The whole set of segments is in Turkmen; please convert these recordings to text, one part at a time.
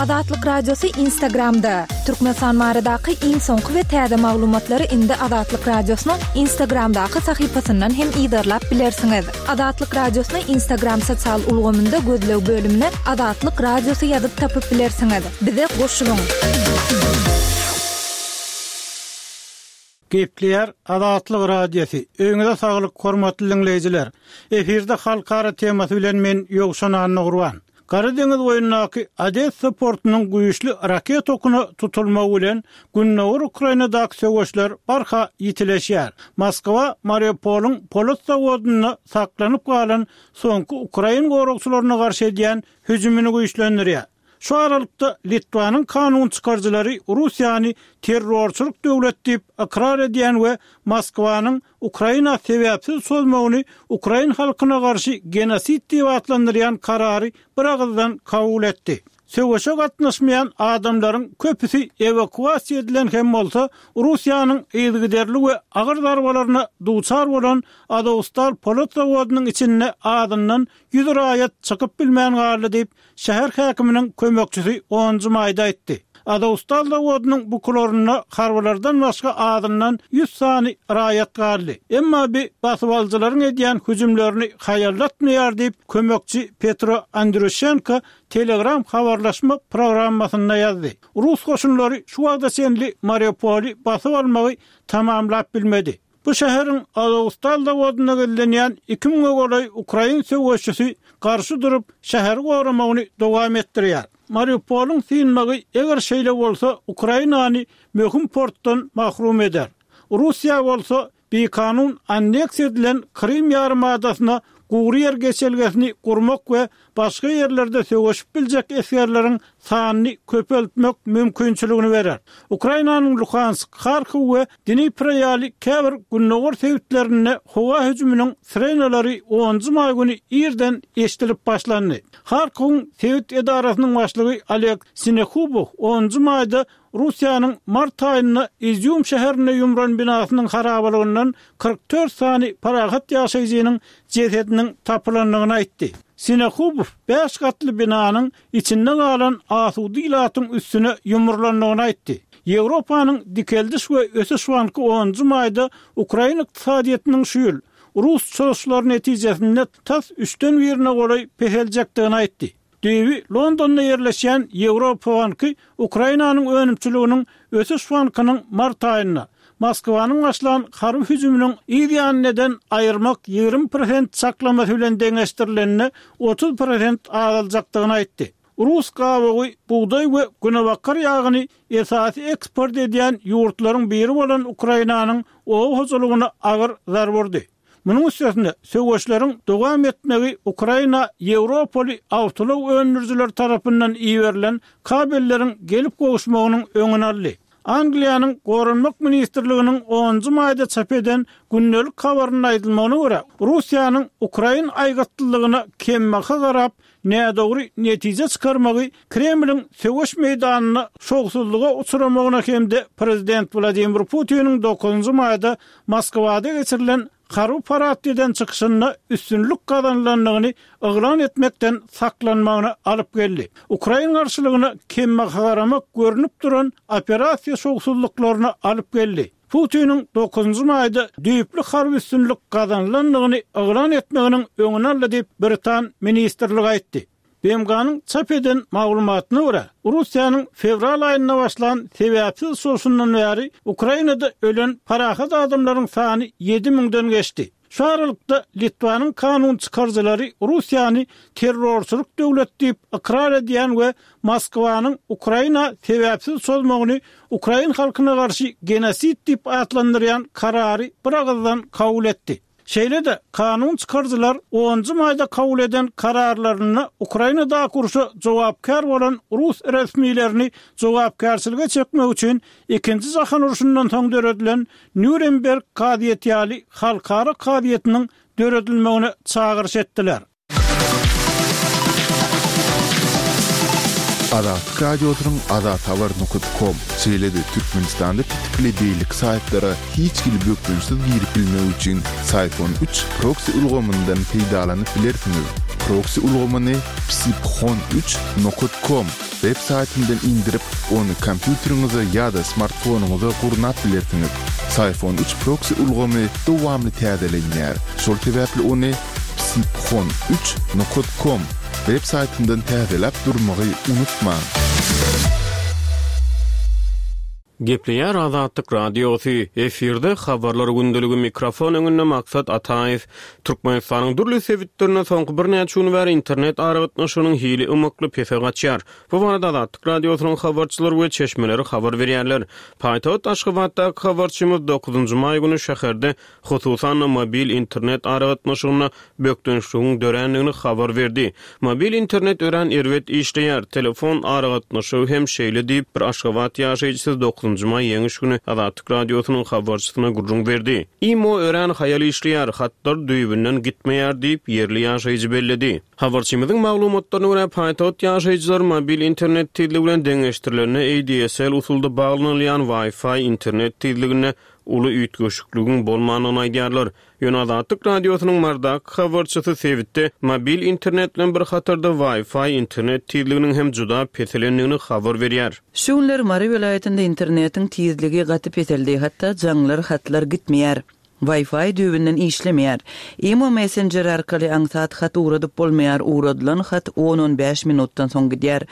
Azatlyk Radiosy Instagramda! Türkmenistan baradaky iň soňky we täze maglumatlary indi Azatlyk Radiosynyň Instagramdaky sahypasyndan hem yzarlap bilersiňiz. Azatlyk Radiosyny Instagram sosial ulgamynda gözleg bölümine Azatlyk Radiosy ýazyp tapyp bilersiňiz. Bize goşulyň! Gepleýär Azatlyk Radiosy. Öýüňize saglyk hormatly diňleýjiler. Efirde halkara temasy bilen men Ýowşan Annagurban. Gara deňiz boýundaky Odessa portunyň güýçli raketa okuna tutulmagy bilen gündogar Ukrainadaky söweşler barha ýitileşýär. Moskwa Mariupolyň polat zawodynda saklanyp galan soňky ukrain goragçylaryna garşy edýän hüjümini güýçlendirýär. Şu aralykda, Litwanyň kanun çykaryjylary Russiýany terrorçylyk döwlet diýip ykrar edýän we Moskwanyň Ukraina sebäpsiz çozmagyny ukrain halkyna garşy genosid diýip atlandyrýan karary biragyzdan kabul etdi. Söweşe gatnaşmaýan adamlaryň köpüsi ewakuasiýa edilen hem bolsa, Russiýanyň yzygiderli we agyr zarbalaryna duçar bolan Azowstal polat zawodynyň içinde azyndan 100 raýat çykyp bilmän galdy diýip, Şäher häkiminiň kömekçisi onunjy maýda aýtdy. Azowstal zawodynyň bukularynda harbylardan başga azyndan 100 sany raýat galdy. Emma bi basybalyjylaryň edýän hüjümlerini haýallatmaýar diýip, kömekçi Petro Andrýuşenko Telegram habarlaşma programmasynda ýazdy. Rus goşunlary şu wagta çenli Mariupoly basyp almagy tamamlap bilmedi. Bu şäheriň Azowstal zawodynda gizlenýän iki müňe golaý ukrain söweşçisi garşy durup, şäheri goramagyny dowam etdirýär. Mariupolyň synmagy, eger şeýle bolsa, Ukrainany möhüm portdan mahrum eder. Russiýa bolsa bikanun anneksiýa edilen Krym ýarymadasyna gury ýer geçelgesini gurmak we başga ýerlerde söweşip biljek esgerleriň sanyny köpeltmek mümkinçiligini berer. Ukrainanyň Luhansk, Harkow we Dnipro ýaly käbir gündogar sebitlerinde howa hüjüminiň sirenalary onunjy maý güni irden eşidilip başlandy. Harkowyň sebit edarasynyň başlygy Oleg Sinehubow onunjy maýda Russiýanyň mart aýynda Izýum şäherinde ýumran binasynyň harabalygyndan 44 sany parahat ýaşaýjynyň jesediniň tapylandygyny aýtdy. Sinehubow bäş gatly binanyň içinde galan asuda ilatyň üstüne ýumrulandygyny aýtdy. Ýewropanyň Dikeldiş we ösüş banky onunjy maýda ukrain ykdysadyýetiniň şu ýyl, rus çozuşlary netijesinde tas üçden birine golaý peseljekdigini aýtdy. Düýbi Londonda ýerleşýän Ýewropa banky Ukrainanyň önümçiliginiň ösüş bankynyň mart aýynda Moskwanyň başlan harby hüjüminiň yz ýanyny eden aýyrmak 20 prosent çaklamasy bilen deňeşdirilende 30 prosent azaljakdygyny aýtdy. Rus gabygy, bugdaý we günebakar ýagyny esasy eksport edýän ýurtlaryň biri bolan Ukrainanyň oba hojalygyna agyr zarba urdy. Munuň üstesine, söweşleriň dowam etmegi Ukraina ýewropaly awtoulag öndürijileri tarapyndan iberilen kabelleriň gelip gowuşmagynyň öňüni aldy. Angliýanyň Goranmak ministrliginiň onunjy maýda çap eden gündelik habarynda aýdylmagyna görä, Russiýanyň ukrain aýgytlylygyna kembaha garap, nädogry netije çykarmagy Kremliň söweş meýdanynda şowsuzlyga uçramagyna hem-de prezident Wladimir Putiniň dokuzynjy maýda Moskwada geçirilen harby paradda eden çykyşynda üstünlik gazanylandygyny yglan etmekden saklanmagyna alyp geldi. Ukrain garşylygyna kembaha garamak görnüp duran operasiýa şowsuzlyklaryna alyp geldi. Putiniň dokuzynjy maýda düýpli harby üstünlik gazanylandygyny yglan etmeginiň öňüni aldy diýip, britan ministrligi aýtdy. BMG-niň çap eden maglumatyna görä, Russiýanyň fewral aýynda başlan sebäpsiz çozuşyndan bäri Ukrainada ölen parahat adamlaryň sany ýedi müňden geçdi. Şu aralykda, Litwanyň kanun çykaryjylary Russiýany terrorçylyk döwlet diýip ykrar edýän we Moskwanyň Ukraina sebäpsiz çozmagyny ukrain halkyna garşy genosid diýip atlandyrýan karary biragyzdan kabul etdi. Şeýle-de, kanun çykaryjylar onunjy maýda kabul eden kararlarynda Ukrainadaky urşa jogapkär bolan rus resmilerini jogapkärçilige çekmek üçin Ikinji jahan urşundan soň döredilen Nýuremberg kazyýeti ýaly halkara kazyýetiniň döredilmegine çagyryş etdiler. Azatlyk Radiosynyň azathabar nokat kom, şeýle-de Türkmenistanda petikli beýleki saýtlara hiç hili bökdençsiz girip bilmek üçin Syphon üç proksi ulgamyndan peýdalanyp bilersiňiz. Proksi ulgamyny psiphon üç nokat kom web saýtyndan indirip, ony kompýuteriňize ýa-da smartfonyňyza gurnap bilersiňiz. Syphon üç proksi ulgamy dowamly täzelenýär, şol sebäpli ony psiphon üç nokat kom web saýtyndan täzeläp durmagy unutmaň! Gepleýär Azatlyk Radiosy, efirde Habarlar gündeligi mikrofon öňünde Maksat Ataýew. Türkmenistanyň dürli sebitlerinde soňky birnäçe gün bäri internet aragatnaşygynyň hili ymykly pese gaçýar. Bu barada Azatlyk Radiosynyň habarçylary we çeşmeleri habar berýärler. Paýtagt Aşgabatdaky habarçymyz dokuzynjy maý güni şäherde hususan-da mobil internet aragatnaşygynda bökdençligiň dörändigini habar berdi. Mobil internet örän erbet işleýär, telefon aragatnaşygy hem şeýle diýip, bir Aşgabat ýaşaýjysy dokuzynjy maý Ýeňiş güni Azatlyk Radiosynyň habarçysyna gürrüň berdi. Imo örän haýal işleýär, hatlar düýbünden gitmeýär diýip, ýerli ýaşaýjy belledi. Habarçymyzyň maglumatlaryna görä, paýtagt ýaşaýjylary mobil internet tizligi bilen deňeşdirilende ADSL usulda baglanylýan Wi-Fi internet tizliginde uly üýtgeşikligiň bolmandygyny aýdýarlar. Ýöne Azatlyk Radiosynyň Marydaky habarçysy sebitde mobil internet bilen bir hatarda Wi-Fi internet tizliginiň hem juda peselendigini habar berýär. Şu günler Mary welaýatynda internetiň tizligi gaty peseldi, hatda jaňlar, hatlar gitmeýär. Wi-Fi düýbünden işlemeýär. Imo messenjeri arkaly aňsat hat ugradyp bolmaýar, ugradylan hat on-on bäş minutdan soň gidýär.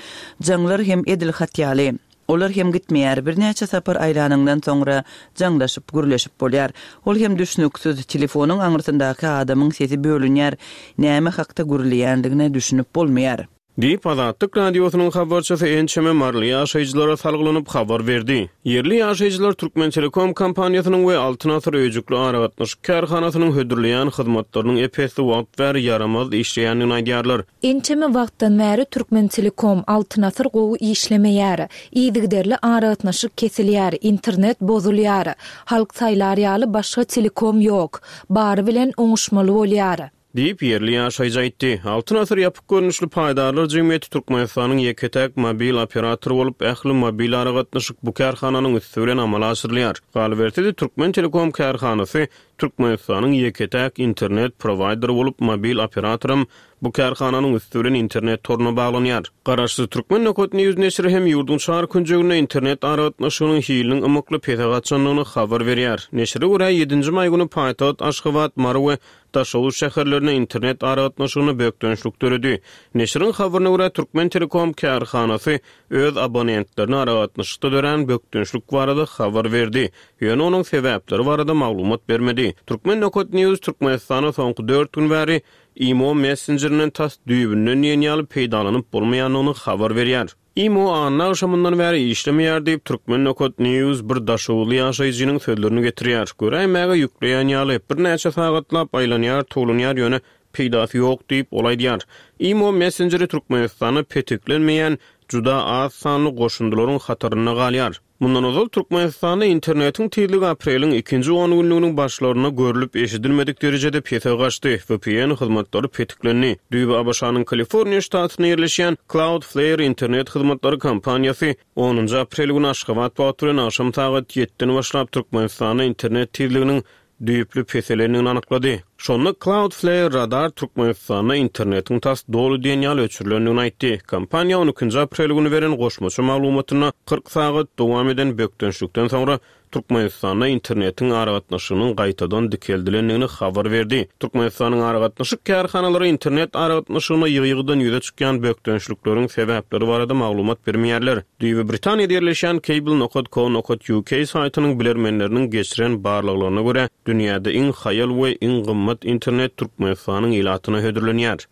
Jaňlar hem edil hat ýaly. Olar hem gitmeýär, birnäçe sapar aýlanyňdan soňra jaňlaşyp, gürleşip bolýar. Ol hem düşnüksiz, telefonyň aňyrsyndaky adamyň sesi bölünýär, näme hakda gürleýändigine düşünip bolmaýar. Diýip, Azatlyk Radiosynyň habarçysy ençeme maryly ýaşaýjylara salgylanyp habar berdi. Ýerli ýaşaýjylar Türkmentelekom kompaniýasynyň we Altyn asyr öýjükli aragatnaşyk kärhanasynyň hödürleýän hyzmatlarynyň ep-esli wagt bäri ýaramaz işleýändigini aýdýarlar. Ençeme wagtdan bäri Türkmentelekom, Altyn asyr gowy işlemeýär. Yzygiderli aragatnaşyk kesilýär, internet bozulýar. Halk saýlar ýaly başga telekom ýok. Bary bilen oňuşmaly bolýar. Diýip, ýerli ýaşaýjy aýtdy. Altyn asyr ýapyk görnüşli paýdarlar jemgyýeti Türkmenistanyň ýeke-täk mobil operatory bolup, ähli mobil aragatnaşyk bu kärhananyň üsti bilen amala aşyrylýar. Galyberse-de, Türkmentelekom kärhanasy Türkmenistanyň ýeke-täk internet prowaýderi bolup, mobil operatoram bu kärhananyň üsti bilen internet toruna baglanýar. Garaşsyz Türkmen Nokat News neşiri hem ýurduň çar künjeginde internet aragatnaşygynyň hiliniň ymykly pese gaçandygyny habar berýär. Neşire görä, ýedinji maý güni paýtagt Aşgabat, Mary we Daşoguz şäherlerinde internet aragatnaşygynda bökdençlik döredi. Neşiriň habaryna görä, Türkmentelekom kärhanasy öz abonentlerine aragatnaşykda dörän bökdençlik barada habar berdi, ýöne onuň sebäpleri barada maglumat bermedi. Turkmen Nokat News Türkmenistanda soňky dört gün bäri Imo messenjerinden tas düýbünden diýen ýaly peýdalanyp bolmaýandygyny habar berýär. Imo anna agşamyndan bäri işlemeýär diýip, Turkmen Nokat News bir daşoguzly ýaşaýjynyň sözlerini getirýär. Göräýmäge ýükleýän ýaly, birnäçe sagatlap aýlanýar, towlanýar, ýöne Peýdasy ýok diýip, ol aýdýar. Imo messenjeri Türkmenistanda petiklenmeýän juda az sanly goşundylaryň hatarynda galýar. Mundan ozal Türkmenistanda internetiň tizligi apreliň ikinji ongünlüginiň başlarynda görlüp-eşidilmedik derejede pese gaçdy, VPN hyzmatlary petiklendi. Düýbi ABŞ-nyň Kaliforniýa ştatynda ýerleşýän Cloudflare internet hyzmatlary kompaniýasy onunjy aprel güni Aşgabat wagty bilen agşam sagat ýediden başlap Türkmenistanda internet tizliginiň düýpli peselendigini anyklady. Şonda Cloudflare Radar Türkmenistanda internetiň tas doly diýen ýaly öçürilendigini aýtdy. Kompaniýa on ikinji aprel güni beren goşmaça maglumatynda 40 sagat dowam eden bökdençlikden soňra Türkmenistanda internetiň aragatnaşygynyň gaýtadan dikeldilendigini habar berdi. Türkmenistanyň aragatnaşyk kärhanalary internet aragatnaşygynda ýygy-ýygydan ýüze çykýan bökdençlikleriň sebäpleri barada maglumat bermeýärler. Düýbi Britaniýada ýerleşýän Cable nokat co nokat uk saýtynyň bilermenleriniň geçiren barlaglaryna görä, dünýäde iň haýal we iň gymmat internet Türkmenistanyň ilatyna hödürlenýär.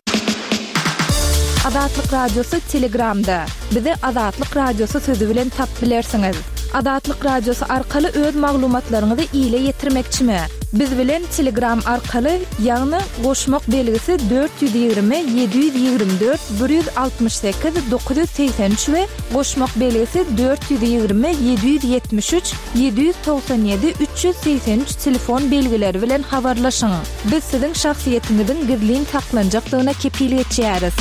Azatlyk Radiosy Telegramda. Bizi Azatlyk Radiosy sözi bilen tapyp bilersiňiz. Azatlyk Radiosy arkaly öz maglumatlaryňyzy ile ýetirmekçimi? Biz bilen Telegram arkaly, ýagny goşmak belgisi 420 724 168 983 we goşmak belgisi 420 773 797 383 telefon belgileri bilen habarlaşyň. Biz siziň şahsyýetiňiziň gizlin saklanjakdygyna kepil geçýäris.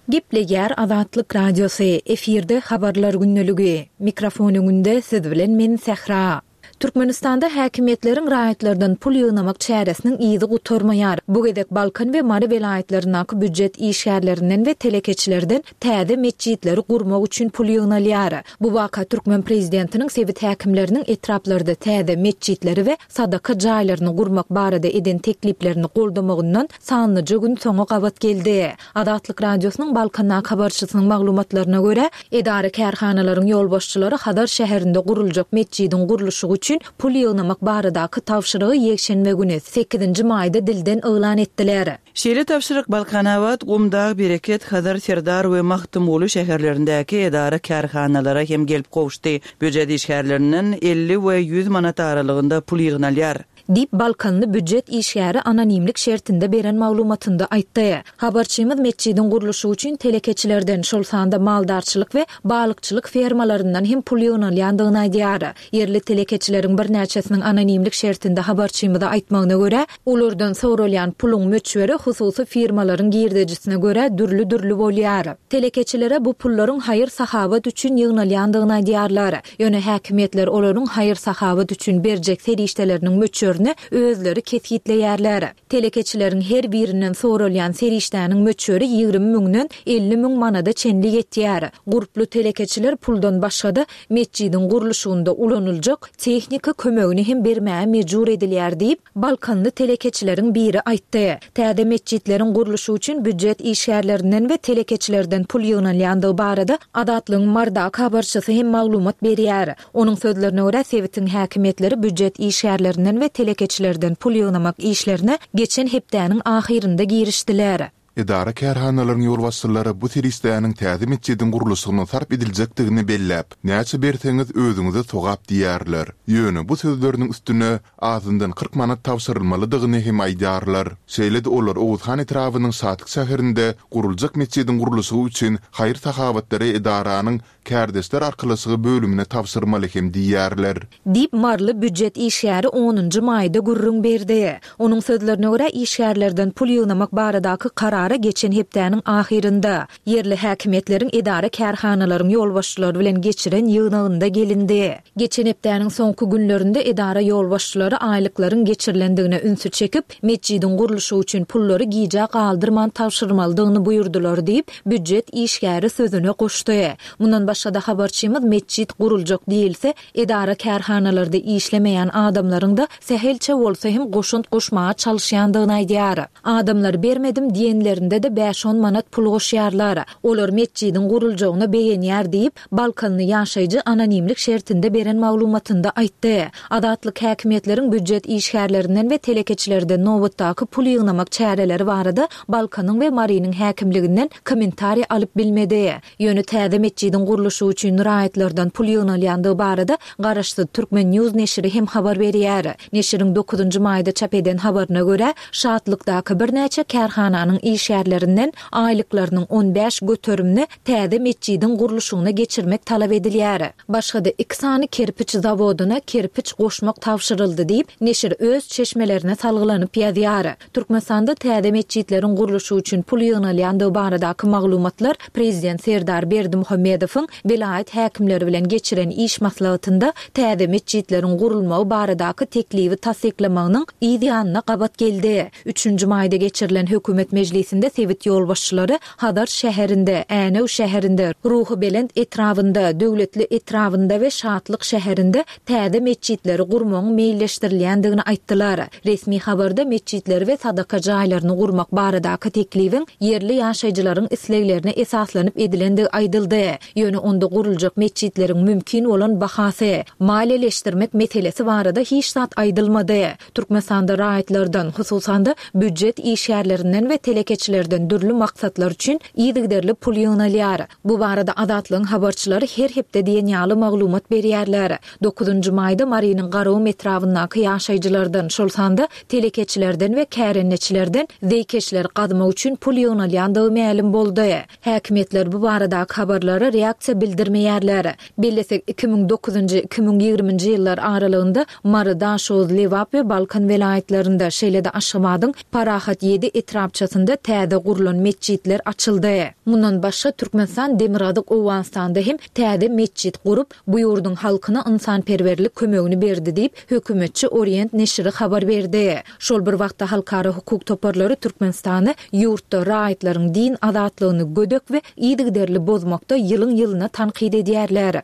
Gepleýär Azatlyk Radiosy, efirde Habarlar gündeligi. Mikrofon öňünde siz bilen men Sähra. Türkmenistanda häkimiýetleriň raýatlardan pul ýygnamak çäresiniň yzy gutarmaýar. Bu gezek Balkan we Mary welaýatlaryndaky býujet işgärlerinden we telekeçilerden täze metjitleri gurmak üçin pul ýygnalýar. Bu waka türkmen prezidentiniň sebit häkimleriniň etraplarda täze metjitleri we sadaka jaýlaryny gurmak barada eden tekliplerini goldamagyndan sanlyja gün soňa gabat geldi. Azatlyk Radiosynyň Balkandaky habarçysynyň maglumatlaryna görä, edara-kärhanalaryň ýolbaşçylary Hazar şäherinde guruljak metjidiň gurluşygy üçin pul ýygnamak baradaky tabşyrygy ýekşenbe güni, sekizinji maýda dilden yglan etdiler. Şeýle tabşyryk Balkanabat, Gumdag, Bereket, Hazar, Serdar we Magtymguly şäherlerindäki edara-kärhanalara hem gelip gowuşdy. Býujet işgärlerinden 50 we 100 manat aralygynda pul ýygnalýar. Diýip, balkanly býujet işgäri anonimlik şertinde beren maglumatynda aýtdy. Habarçymyz metjidiň gurluşygy üçin telekeçilerden, şol sanda maldarçylyk we balykçylyk fermalaryndan hem pul ýygnalýandygyny aýdýar. Ýerli telekeçileriň birnäçesiniň anonimlik şertinde habarçymyza aýtmagyna görä, olardan soralýan puluň möçberi hususy firmalaryň girdejisine görä dürli-dürli bolýar. Telekeçilere bu pullaryň haýyr-sahawat üçin ýygnalýandygyny aýdýarlar. Ýöne häkimiýetler olaryň haýyr-sahawat üçin berjek serişdeleriniň möçberini özleri kesgitleýärler. Telekeçileriň her birinden soralýan serişdäniň möçberi 20 müňden 50 müň manada çenli ýetýär. Gurply telekeçiler puldan başga-da, metjidiň gurluşygynda ulanyljak tehnika kömegini hem bermäge mejbur edilýär diýip, Balkanly telekeçileriň biri aýtdy. Täze metjitleriň gurluşygy üçin býujet işgärlerinden we telekeçilerden pul ýygnalýandygy barada Azatlygyň Marydaky habarçysy hem maglumat berýär. Onuň sözlerine görä, sebitiň häkimiýetleri býujet işgärlerinden we telekeçilerden pul ýygnamak işlerine geçen hepdäniň ahyrynda girişdiler. Edara-kärhanalaryň ýolbaşçylary bu serişdäniň täze metjidiň gurluşygyna sarp ediljekdigini belläp, näçe berseňiz özüňize sogap diýýärler. Ýöne bu sözleriniň üstüne azyndan 40 manat tabşyrylmalydygyny hem aýdýarlar. Şeýle-de olar Oguzhan etrabynyň Şatlyk şäherinde guruljak metjidiň gurluşygy üçin haýyr-sahawatlary edaranyň Kärdeşler arkalaşygy bölümine tabşyrmaly hem diýýärler. Diýip, maryly býujet işgäri onunjy maýda gürrüň berdi. Onuň sözlerine görä, işgärlerden pul ýygnamak baradaky karara geçen hepdäniň ahyrynda, ýerli häkimiýetleriň edara-kärhanalaryň ýolbaşçylary bilen geçiren ýygnagynda gelindi. Geçen hepdäniň soňky günlerinde edara ýolbaşçylary aýlyklaryň geçirilendigine ünsi çekip, metjidiň gurluşygy üçin pullary gijä galdyrman tabşyrmalydygyny buýurdylar diýip, býujet işgäri sözüne goşdy. Mundan başga-da habarçymyz metjit guruljak diýilse, edara-kärhanalarda işlemeýän adamlaryň-da sähelçe bolsa hem goşant goşmaga çalyşýandygyny aýdýar. Adamlar bermedim diýenlerinde-de bäş-on manat pul goşýarlar. Olar metjidiň guruljagyna begenýär diýip, Balkanly ýaşaýjy anonimlik şertinde beren maglumatynda aýtdy. Azatlyk häkimiýetleriň býujet işgärlerinden we telekeçilerden nobatdaky pul ýygnamak çäreleri barada Balkanyň we Marynyň häkimliginden kommentariý alyp bilmedi. Ýöne täze metjidiň gurluşygy üçin raýatlardan pul ýygnalýandygy barada garaşsyz Turkmen News neşiri hem habar berýär. Neşiriň dokuzynjy maýda çap eden habaryna görä, Şatlykdaky birnäçe kärhananyň işgärlerinden aýlyklarynyň 15 göterimini täze metjidiň gurluşygyna geçirmek talap edilýär. Başga-da iki sany kerpiç zawodyna kerpiç goşmak tabşyryldy diýip, neşir öz çeşmelerine salgylanyp ýazýar. Türkmenistanda täze metjitleriň gurluşygy üçin pul ýygnalýandygy baradaky maglumatlar prezident Serdar Berdimuhamedowyň welaýat häkimleri bilen geçiren iş maslahatynda täze metjitleriň gurulmagy baradaky teklibi tassyklamagynyň yz ýanyna gabat geldi. Üçünji maýda geçirilen hökümet mejlisinde sebit ýolbaşçylary Hazar şäherinde, Änew şäherinde, Ruhubelent etrabynda, Döwletli etrabynda we Şatlyk şäherinde täze metjitleri gurmagyň meýilleşdirilýändigini aýtdylar. Resmi habarda metjitleri we sadaka jaýlaryny gurmak baradaky teklibiň ýerli ýaşaýjylaryň isleglerine esaslanyp edilendigi aýdyldy. Ýöne onda guruljak metjitleriň mümkin bolan bahasy, maliýeleşdirmek meselesi barada hiç zat aýdylmady. Türkmenistanda raýatlardan, hususan-da, býujet işgärlerinden we telekeçilerden dürli maksatlar üçin yzygiderli pul ýygnalýar. Bu barada Azatlygyň habarçylary her hepde diýen ýaly maglumat berýärler. Dokuzynjy maýda Marynyň Garagum etrabyndaky ýaşaýjylardan, şol sanda telekeçilerden we kärendeçilerden zeýkeşleri gazmak üçin pul ýygnalýandygy mälim boldy. Häkimiýetler bu baradaky habarlara reaksiýa bildirmeýärler. Bellesek, 2009-njy, 2020-nji ýyllar aralygynda Mary, Daşoguz, Lebap we Balkan welaýatlarynda, şeýle-de Aşgabadyň Parahat ýedi etrapçasynda täze. täze gurlan metjitler açyldy. Mundan başga, Türkmenistan Demirgazyk Owganystanda hem täze metjit gurup, bu ýurduň halkyna ynsanperwerlik kömegini berdi diýip, hökümetçi Orient neşiri habar berdi. Şol bir wagtda halkara hukuk toparlary Türkmenistany ýurtda raýatlaryň din azatlygyny gödek we yzygiderli bozmakda ýylyň-ýylyna tankyt edýärler.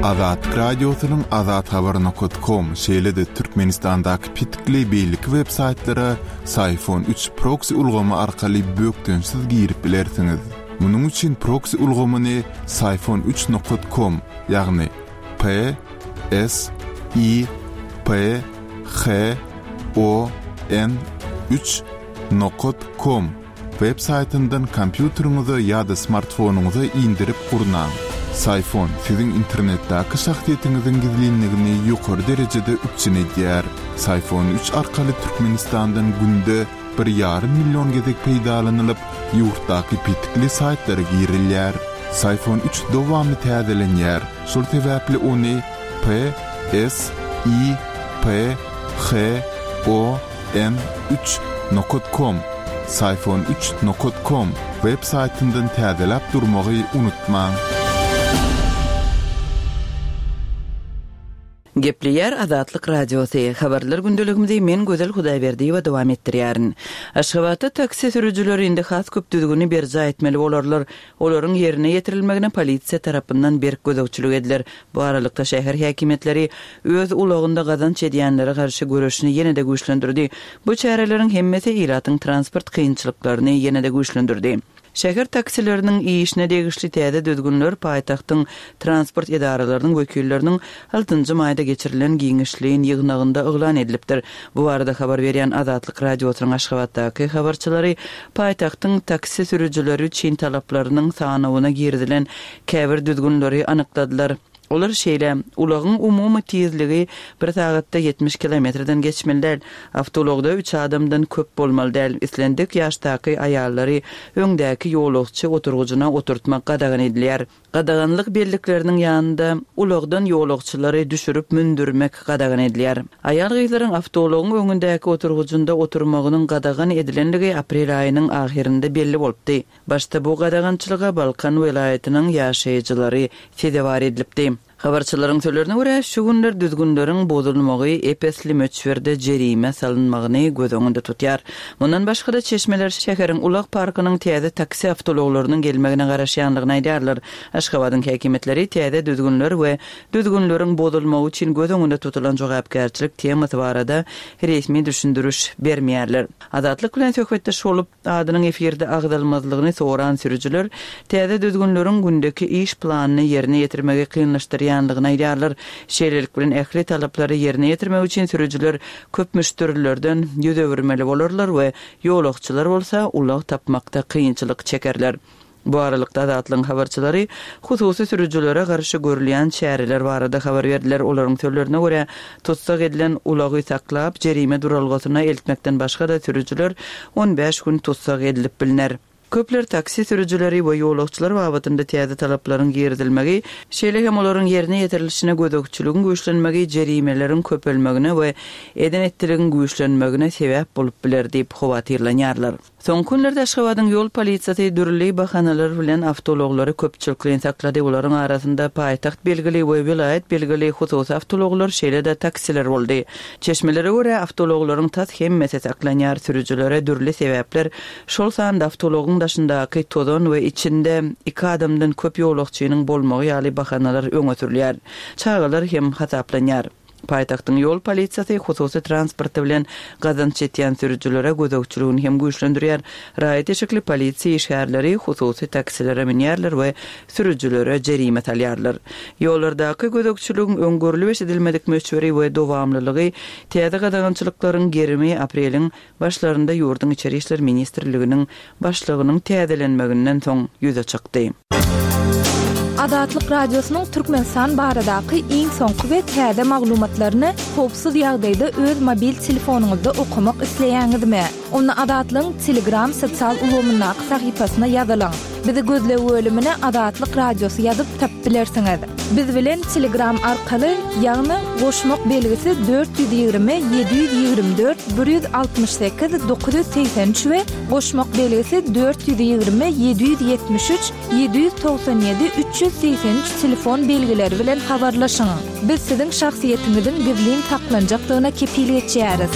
Azatlyk Radiosynyň Azathabar nokat kom, şeýle-de Türkmenistandaky petikli beýleki web saýtlara Syfon üç proksi ulgamy arkaly bökdençsiz girip bilersiňiz. Munuň üçin proksi ulgamyny Syfon üç nokat kom, ýagny P S I P H O N üç nokat kom web saýtyndan kompýuteriňize ýa-da smartfonyňyza indirip gurnaň. Syfon siziň internetdäki şahsyýetiňiziň gizlinligini ýokary derejede üpjün edýär. Syfon üç arkaly Türkmenistandan günde bir ýarym million gezek peýdalanylyp, ýurtdaky petikli saýtlara girilýär. Syfon üç dowamly täzelenýär, şol sebäpli ony P S I P H O N üç nokat kom, Syfon üç nokat kom, web saýtyndan täzeläp durmagy unutmaň. Gepleýär Azatlyk Radiosy, Habarlar gündeligimizi men Gözel Hudaýberdiýewa dowam etdirýärin. Aşgabatda taksi sürüjileri indi has köp düzgüni berjaý etmeli bolarlar. Olaryň ýerine ýetirilmegine polisiýa tarapyndan berk gözegçilik ediler. Bu aralykda şäher häkimiýetleri öz ulagynda gazanç edýänlere garşy göreşini ýene-de güýçlendirdi. Bu çäreleriň hemmesi ilatyň transport kynçylyklaryny ýene-de güýçlendirdi. Şäher taksileriniň işine degişli täze düzgünler paýtagtyň transport edaralarynyň wekilleriniň altynjy maýda geçirilen giňişleýin ýygnagynda yglan edilipdir. Bu barada habar berýän Azatlyk Radiosynyň Aşgabatdaky habarçylary paýtagtyň taksi sürüjileri üçin talaplarynyň sanawyna girizilen käbir düzgünleri anykladylar. Olar şeýle, ulagyň umumy tizligi bir sagatda 70 kilometrden geçmeli däl, awtoulagda üç adamdan köp bolmaly däl, islendik ýaşdaky aýallary öňdäki ýolagçy oturgyjyna oturtmak gadagan edilýär. Gadaganlyk bellikleriniň ýanynda ulagdan ýolagçylary düşürip mündürmek gadagan edilýär. Aýal-gyzlaryň awtoulagyň öňündäki oturgyjynda oturmagynyň gadagan edilenligi aprel aýynyň ahyrynda belli bolupdy. Başda bu gadagançylyga Balkan welaýatynyň ýaşaýjylary sezewar edilipdi. Habarçylaryň sözlerine görä, şu günler düzgünleriň bozulmagy ep-esli möçberde jerime salynmagyny göz öňünde tutýar. Mundan başga-da, çeşmeler şäheriň ulag parkynyň täze taksi awtoulaglarynyň gelmegine garaşýandygyny aýdýarlar. Aşgabadyň häkimiýetleri täze düzgünler we düzgünleriň bozulmagy üçin göz öňünde tutulan jogapkärçilik temasy barada resmi düşündiriş bermeýärler. Azatlyk bilen söhbetdeş bolup, adynyň efirde agzalmazlygyny soran sürüjiler täze düzgünleriň gündeki iş planyny ýerine ýetirmegi kynlaşdyrýandygyny aýdýarlar. Şeýlelik bilen, ähli talaplary ýerine ýetirmek üçin sürüjiler köp müşderilerden ýüz öwürmeli bolarlar we ýolagçylar bolsa ulag tapmakda kynçylyk çekerler. Bu aralykda, Azatlygyň habarçylary hususy sürüjilere garşy görülýän çäreler barada habar berdiler. Olaryň sözlerine görä, tussag edilen ulagy saklap, jerime duralgasyna eltmekden başga-da sürüjiler on bäş gün tussag edilip bilner. Köpler taksi sürüjileri we ýolagçylar babatynda täze talaplaryň girizilmegi, şeýle hem olaryň ýerine ýetirilişine gözegçiligiň güýçlenmegi jerimeleriň köpelmegine we eden-etdiligiň güýçlenmegine sebäp bolup biler diýip howatyrlanýarlar. Soňky günlerde Aşgabadyň ýol polisiýasy dürli bahanalar bilen awtoulaglary köpçülikleýin saklady. Olaryň arasynda paýtagt belgili we welaýat belgili hususy awtoulaglar, şeýle-de taksiler boldy. Çeşmelere görä, awtoulaglaryň tas hemmesi saklanýar, sürüjilere dürli sebäpler, şol sanda awtoulagyň daşyndaky tozan we içinde iki adamdan köp ýolagçynyň bolmagy ýaly bahanalar öňe sürülýär. Çagalar hem hasaplanýar. Paýtagtyň ýol polisiýasy hususy transporty bilen gazanç etýän sürüjilere gözegçiligini hem güýçlendirýär. Raýat eşikli polisiýa işgärleri hususy taksilere münýärler we sürüjilere jerime salýarlar. Ýollardaky gözegçiligiň öň görlüp-eşidilmedik möçberi we dowamlylygy täze gadagançylyklaryň gerimi apreliň başlarynda ýurduň Içeri işler ministrliginiň başlygynyň täzelenmeginden soň ýüze çykdy. Azatlyk Radiosynyň Türkmenistan baradaky iň soňky we täze maglumatlaryny howpsuz ýagdaýda öz mobil telefonyňyzda okamak isleýäňizmi? Onda Azatlygyň Telegram sosial ulgamyndaky sahypasyna ýazylyň. Bizi gözleg bölümine Azatlyk Radiosy ýazyp tapyp bilersiňiz. Biz bilen Telegram arkaly, ýagny goşmak belgisi 420 724 168 983 we goşmak belgisi 420 773 797 383 telefon belgileri bilen habarlaşyň. Biz siziň şahsyýetiňiziň gizlin saklanjakdygyna kepil geçýäris.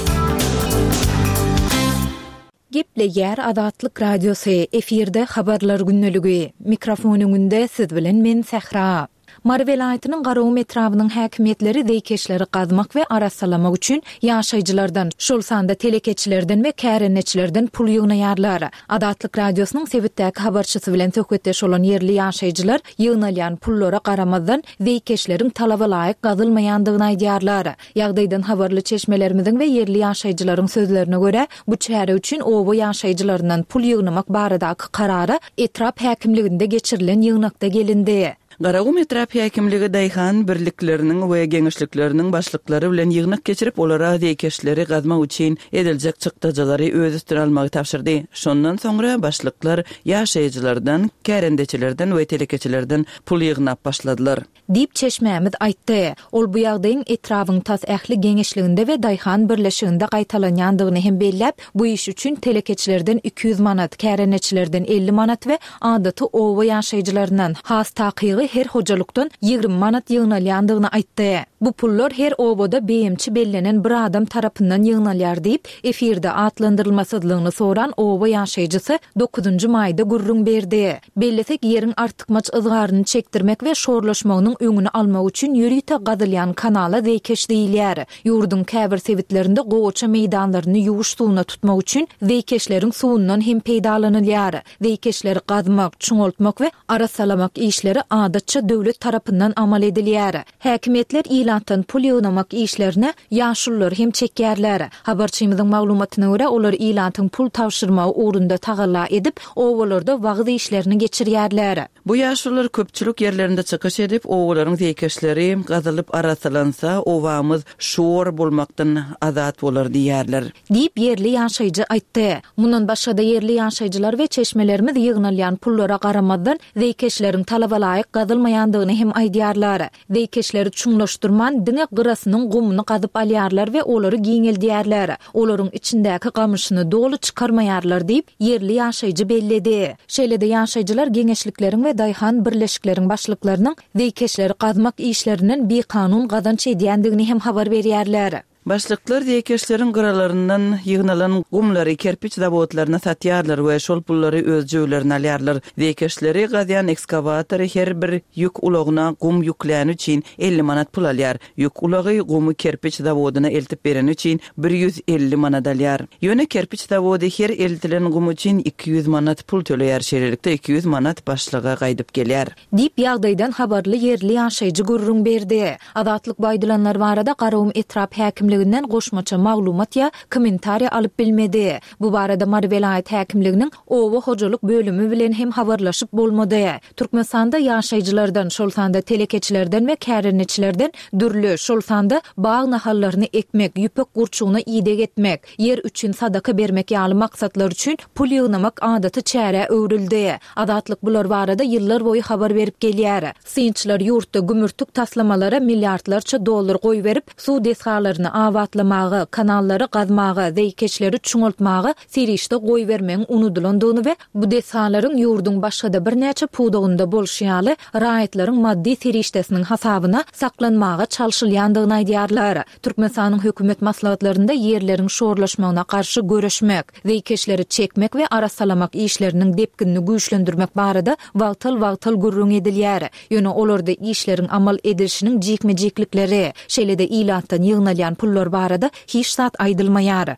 Gepleýär Azatlyk Radiosy, efirde Habarlar gündeligi. Mikrofon öňünde siz bilen men Sähra. Mary welaýatynyň Garagum etrabynyň häkimiýetleri zeýkeşleri gazmak we arassalamak üçin ýaşaýjylardan, şol sanda telekeçilerden we kärendeçilerden pul ýygnaýarlar. Azatlyk Radiosynyň sebitdäki habarçysy bilen söhbetdeş bolan ýerli ýaşaýjylar ýygnalýan pullara garamazdan, zeýkeşleriň talaba laýyk gazylmaýandygyny aýdýarlar. Ýagdaýdan habarly çeşmelerimiziň we ýerli ýaşaýjylaryň sözlerine görä, bu çäre üçin oba ýaşaýjylaryndan pul ýygnamak baradaky karara etrap häkimliginde geçirilen ýygnakda gelindi. Garagum etrap häkimligi daýhan birlikleriniň we geňeşlikleriniň başlyklary bilen ýygnak geçirip, olara zeýkeşleri gazmak üçin ediljek çykdajylary öz üstüne almagy tabşyrdy. Şondan soňra başlyklar ýaşaýjylardan, kärendeçilerden we telekeçilerden pul ýygnap başladylar. Diýip, çeşmämiz aýtdy. Ol bu ýagdaýyň etrabyň tas ähli geňeşliginde we daýhan birleşiginde gaýtalanýandygyny hem belläp, bu iş üçin telekeçilerden 200 manat, kärendeçilerden 50 manat we adaty oba ýaşaýjylaryndan, has takygy her hojalykdan 20 manat ýygnalýandygyny aýtdy. Bu pullar her obada beýemçi bellenen bir adam tarapyndan ýygnalýar diýip, efirde atlandyrylmasyzlygyny soran oba ýaşaýjysy dokuzynjy maýda gürrüň berdi. Bellesek, ýeriň artykmaç yzgaryny çekdirmek we şorlaşmagynyň öňüni almak üçin ýörite gazylýan kanala zeýkeş diýilýär. Ýurduň käbir sebitlerinde gowaça meýdanlaryny ýuwuş suwuna tutmak üçin zeýkeşleriň suwundan hem peýdalanylýar. Zeýkeşleri gazmak, çuňaltmak we arassalamak işleri adatça döwlet tarapyndan amal edilýär. Häkimiýetler ilatdan pul ýygnamak işlerine ýaşululary hem çekýärler. Habarçymyzyň maglumatyna görä, olar ilatyň pul tabşyrmagy ugrunda tagalla edip, obalarda wagyz işlerini geçirýärler. Bu ýaşulular köpçülik ýerlerinde çykyş edip, obalaryň zeýkeşleri gazylyp arassalansa, obamyz şor bolmakdan azat bolar diýýärler. Diýip, ýerli ýaşaýjy aýtdy. Mundan başga-da, ýerli ýaşaýjylar we çeşmelerimiz ýygnalýan pullara garamazdan, zeýkeşleriň talabalaýyk gazylmaýandygyny hem aýdýarlar. Zeýkeşleri çuňlaşdyrman, diňe gyrasynyň gumuny gazyp alýarlar we olary giňeldýärler. Olaryň içindäki gamyşyny doly çykarmaýarlar diýip, ýerli ýaşaýjy belledi. Şeýle-de ýaşaýjylar geňeşlikleriň we daýhan birleşikleriň başlyklarynyň zeýkeşleri gazmak işlerinden bikanun gazanç edýändigini hem habar berýärler. Başlyklar zeýkeşleriň gyralaryndan ýygnalan gumlary kerpiç zawodlaryna satýarlar we şol pullary öz jübülerine alýarlar. Zeýkeşleri gazýan ekskawator her bir ýük ulagyna gum ýükläni üçin 50 manat pul alýar. Ýük ulagy gumy kerpiç zawodyna eltip bereni üçin 150 manat alýar. Ýöne kerpiç zawody her eltilen gum üçin 200 manat pul töleýär, şeýlelikde 200 manat başlyga gaýdyp gelýär. Diýip, ýagdaýdan habarly ýerli ýaşaýjy gürrüň berdi. Azatlyk bu aýdylanlar barada Garagum etrap häkimliginden goşmaça maglumat ýa kommentariýa alyp bilmedi. Bu barada Mary welaýat häkimliginiň oba hojalyk bölümi bilen hem habarlaşyp bolmady. Türkmenistanda ýaşaýjylardan, şol sanda telekeçilerden we kärendeçilerden dürli, şol sanda bag nahallaryny ekmek, ýüpek gurçugyna ideg etmek, ýer üçin sadaka bermek ýaly maksatlar üçin pul ýygnamak adaty çärä öwrüldi. Azatlyk bular barada ýyllar boýy habar berip gelýär. Synçylar ýurtda gümürtik taslamalara milliardlarça dollar goýberip, suw desgalaryny abatlamaga, kanallary gazmaga, zeýkeşleri çuňaltmaga serişde goýbermegiň unudylandygyny we bu desgalaryň ýurduň başga-da birnäçe pudagynda bolşy ýaly, raýatlaryň maddy serişdesiniň hasabyna saklanmaga çalşylýandygyny aýdýarlar. Türkmenistanyň hökümet maslahatlarynda ýerleriň şorlaşmagyna garşy göreşmek, zeýkeşleri çekmek we arassalamak işleriniň depginini güýçlendirmek barada wagtal-wagtal gürrüň edilýär. Ýöne olarda işleriň amal edilişiniň jikme-jiklikleri, şeýle-de ilatdan ýygnalýan pullar barada hiç zat aýdylmaýar.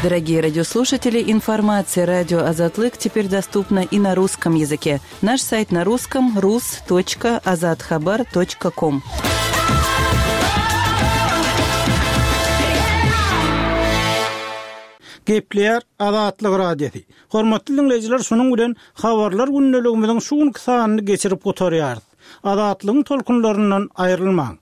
Дорогие радиослушатели, информация радио Азатлык теперь доступна и на русском языке. Наш сайт на русском rus.azathabar.com. Gepleýär Azatlyk Radiosy. Hormatly diňleýjiler, şunuň bilen Habarlar gündeligimiziň şu günki sanyny geçirip gutarýarys. Azatlygyň tolkunlaryndan aýrylmaň!